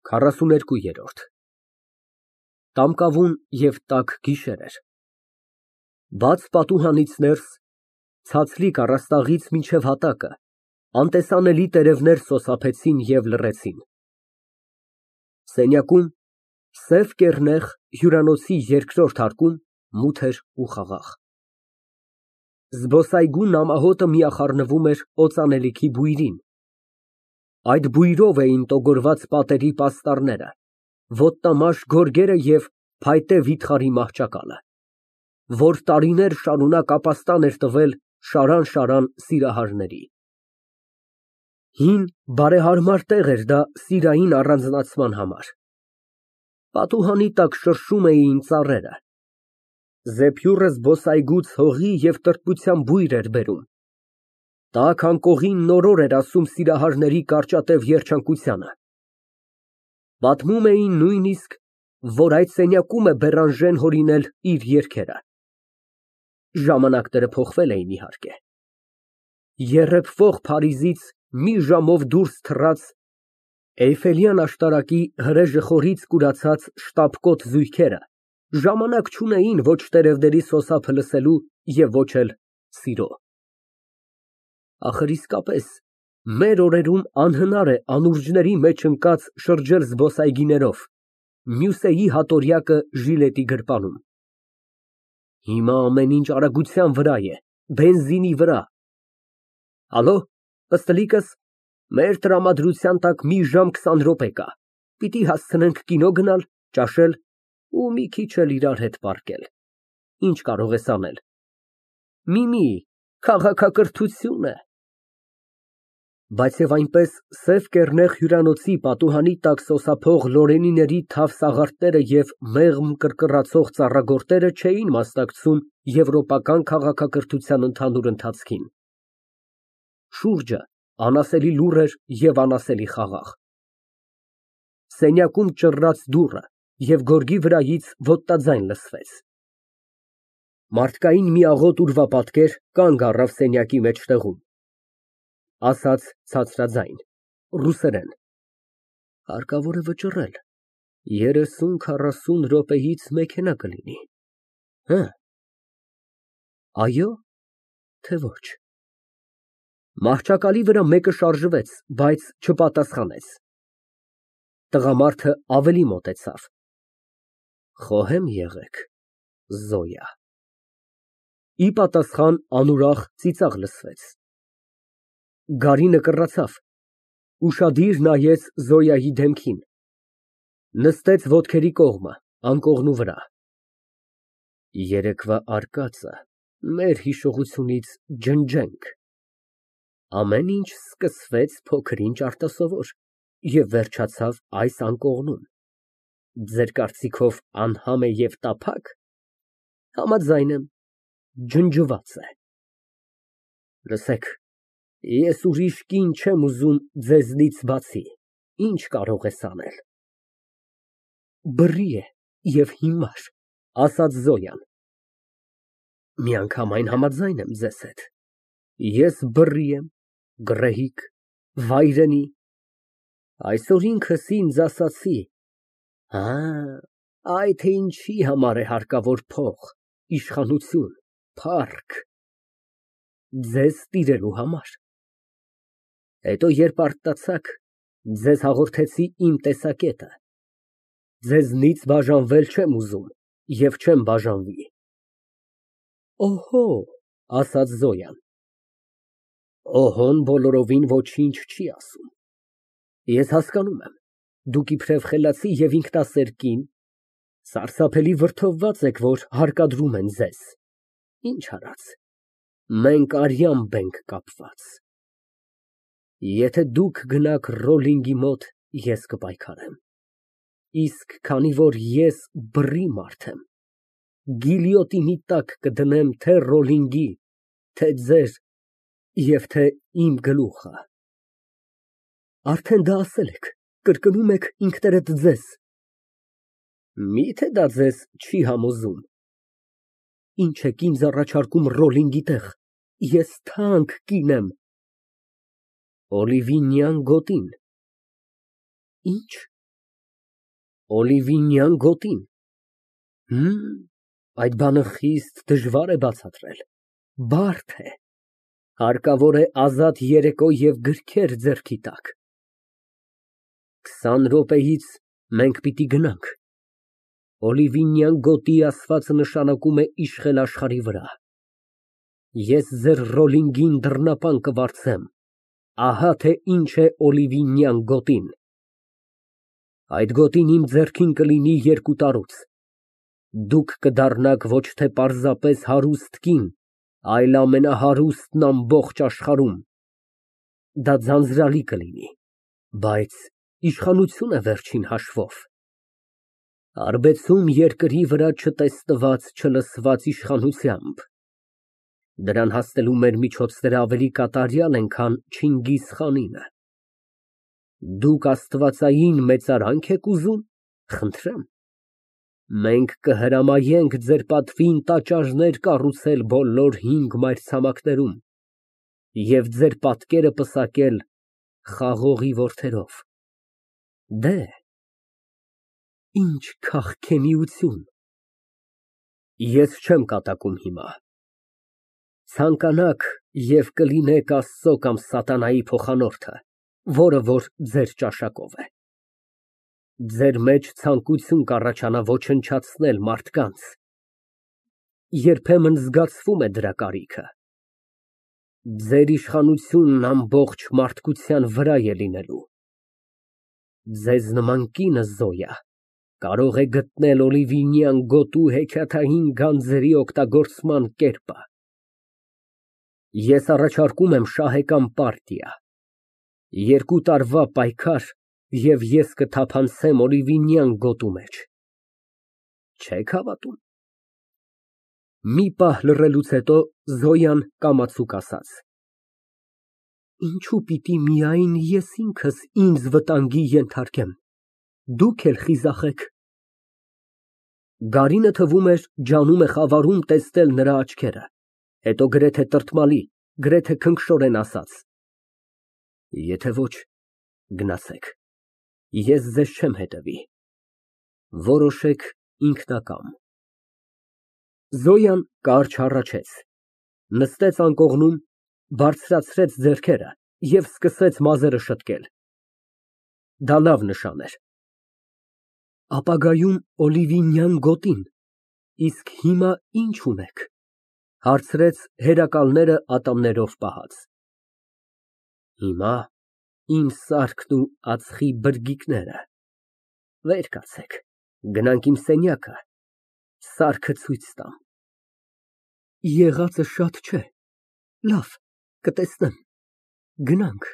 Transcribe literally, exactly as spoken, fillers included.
քառասուներկուերորդ Տամկավուն և տաք գիշեր էր, բաց պատուհանից ներս, ցածլիկ առաստաղից մինչև հատակը, անտեսանելի տերևներ սոսափեցին և լռեցին։ Սենյակում, սև կեռնեխ հյուրանոցի երկրորդ հարկում մութ էր ու խաղաղ։ Զբոսայգու նամահոտը միախառնվում էր օծանելիքի բույրին, այդ բույրով էին տոգորված պատերի պաստառները, ոտնամաշ գորգերը և փայտե վիթխարի մահճակալը, որ տարիներ շարունակ ապաստան էր տվել շարան֊շարան սիրահարների։ Հին, բարեհարմար տեղ էր դա սիրային առանձնացման համար։ Պատուհանի տակ շրշում էին ծառերը, զեփյուռը զբոսայգուց հողի և տրտմության բույր էր բերում, տաք անկողին նորոր էր ասում սիրահարների կարճատև երջանկությանը։ Պատմում էին նույնիսկ, որ այդ սենյակում է Բերանժեն հորինել իր երգերը։ Ժամանակները փոխվել էին, իհարկե, եռեփվող Փարիզից մի ժամով դուրս թռած, Էյֆելյան աշտարակի հրեժը խորից կուրացած շտապկոտ զույգերը ժամանակ չունեին ոչ տերևների սոսափը լսելու և ոչ էլ սիրո։ Ախր իսկապես մեր օրերում անհնար է անուրջների մեջ ընկած շրջել զբոսայգիներով, Մյուսեի հատորյակը ժիլետի գրպանում։ Հիմա ամեն ինչ արագության վրա է, բենզինի վրա։ Ալո, ըստլիկս, մեր տրամադրության տակ մի ժամ քսան րոպե կա, պիտի հասցնենք կինո գնալ, ճաշել ու մի քիչ էլ իրար հետ պառկել, ինչ կարող ես անել։ Միմի, քաղաքակրթություն է։ Բայց և այնպես սև կեռնեխ հյուրանոցի պատուհանի տակ սոսափող լորենիների թավ սաղարթները և մեղմ կռկռացող ծառագորտերը չէին մասնակցում եվրոպական քաղաքակրթության ընդհանուր ընթացքին։ Շուրջը անասելի լուռ էր և անասելի խաղաղ։ Սենյակում ճռռաց դուռը և գորգի վրայից ոտնաձայն լսվեց։ Մարդկային մի աղոտ ուրվապատկեր կանգ առավ սենյակի մեջտեղում, ասաց ցածրաձայն, ռուսերեն. Հարկավոր է վճռել, երեսուն֊քառասուն րոպեից մեքենա կլինի, հը՞։ Այո՞, թե՞ ոչ։ Մահճակալի վրա մեկը շարժվեց, բայց չպատասխանեց։ Տղամարդը ավելի մոտեցավ։ Խոհեմ եղեք, Զոյա։ Ի պատասխան անուրախ ծիծաղ լսվեց։ Գարինը կռացավ, ուշադիր նայեց Զոյայի դեմքին, նստեց ոտքերի կողմը, անկողնու վրա։ Երեկվա արկածը մեր հիշողությունից ջնջենք։ Ամեն ինչ սկսվեց փոքր֊ինչ արտասովոր և վերջացավ այս անկողնում, ձեր կարծիքով անհամ է և տափա՞կ։ Համաձայն եմ, ջնջված է։ Լսեք, ես ուրիշ կին չեմ ուզում ձեզնից բացի, ինչ կարող ես անել։ Բռի է և հիմար, ասաց Զոյան։ Միանգամայն համաձայն եմ ձեզ հետ, ես բռի եմ, գռեհիկ, վայրենի, այսօր ինքս ինձ ասացի. հա, այ թե ինչի համար է հարկավոր փող, իշխանություն, փառք։ Ձեզ տիրելու համար։ Հետո երբ արթնացաք, ձեզ հաղորդեցի իմ տեսակետը, ձեզնից բաժանվել չեմ ուզում և չեմ բաժանվի։ Օհո, ասաց Զոյան։ Օհոն բոլորովին ոչինչ չի ասում։ Ես հասկանում եմ, դուք իբրև խելացի և ինքնասեր կին, սարսափելի վրդովված եք, որ հարկադրում են ձեզ, ինչ արած, մենք արյամբ ենք կապված։ Եթե դուք գնաք Ռոլլինգի մոտ, ես կպայքարեմ, իսկ քանի որ ես բռի մարդ եմ, գիլյոտինի տակ կդնեմ թե Ռոլլինգի, թե ձեր և թե իմ գլուխը։ Արդեն դա ասել եք, կրկնում եք ինքներդ ձեզ։ Մի՞թե դա ձեզ չի համոզում։ Ինչ եք ինձ առաջարկում Ռոլլինգի տեղ, ես թանկ կին եմ։ Օլիվինյան գոտին։ Ինչ։ Օլիվինյան գոտին։ Հըմ, այդ բանը խիստ դժվար է բացատրել, բարդ է, հարկավոր է ազատ երեկո և գրքեր ձեռքի տաք։ Քսան րոպեից մենք պիտի գնանք։ Օլիվինյան գոտի ասվածը նշանակում է իշխել աշխարհի վրա։ Ես ձեր Ռոլլինգին դռնապան կվարձեմ, ահա թե ինչ է օլիվինյան գոտին։ Այդ գոտին իմ ձեռքին կլինի երկու տարուց, դուք կդառնաք ոչ թե պարզապես հարուստ կին, այլ ամենահարուստն ամբողջ աշխարհում։ Դա ձանձրալի կլինի, բայց իշխանություն է վերջին հաշվով։ Հարբեցում երկրի վրա չտեսնված, չլսված իշխանությամբ։ Դրան հասնելու մեր միջոցները ավելի կատարյալ են, քան Չինգիզ խանինը։ Դուք աստվածային մեծարանք եք ուզում, խնդրեմ, մենք կհրամայենք ձեր պատվին տաճարներ կառուցել բոլոր հինգ մայրցամաքներում և ձեր պատկերը պսակել խաղողի որդերով։ Դեհ, ինչ քաղքենիություն։ Ես չեմ կատակում հիմա։ Ցանկանաք և կլինեք Աստծո կամ սատանայի փոխանորդը, որը որ ձեր ճաշակով է։ Ձեր մեջ ցանկություն կառաջանա ոչնչացնել մարդկանց, երբեմն զգացվում է դրա կարիքը։ Ձեր իշխանությունն ամբողջ մարդկության վրա է լինելու։ Ձեզ նման կինը, Զոյա, կարող է գտնել օլիվինյան գոտու հեքիաթային գանձերի օգտագործման կերպը։ Ես առաջարկում եմ շահեկան պարտիա, երկու տարվա պայքար, և ես կթափանցեմ օլիվինյան գոտու մեջ։ Չե՞ք հավատում։ Մի պահ լռելուց հետո Զոյան կամացուկ ասաց. Ինչո՞ւ պիտի միայն ես ինքս ինձ վտանգի ենթարկեմ, դուք էլ խիզախեք։ Գարինը, թվում էր, ջանում է խավարում տեսնել նրա աչքերը, հետո գրեթե տրտմալի, գրեթե քնքշորեն ասաց. Եթե ոչ, գնացեք, ես ձեզ չեմ հետևի, որոշեք ինքնակամ։ Զոյան կարճ հառաչեց, նստեց անկողնում, բարձրացրեց ձեռքերը և սկսեց մազերը շտկել։ Դա լավ նշան էր։ Ապագայում օլիվինյան գոտին, իսկ հիմա ինչ ունեք, հարցրեց հերակալները ատամներով պահած։ Հիմա իմ սարքն ու ածխի բրգիկները։ Վեր կացեք, գնանք իմ սենյակը, սարքը ցույց տամ։ Եղածը շատ չէ, լավ, կտեսնեմ, գնանք։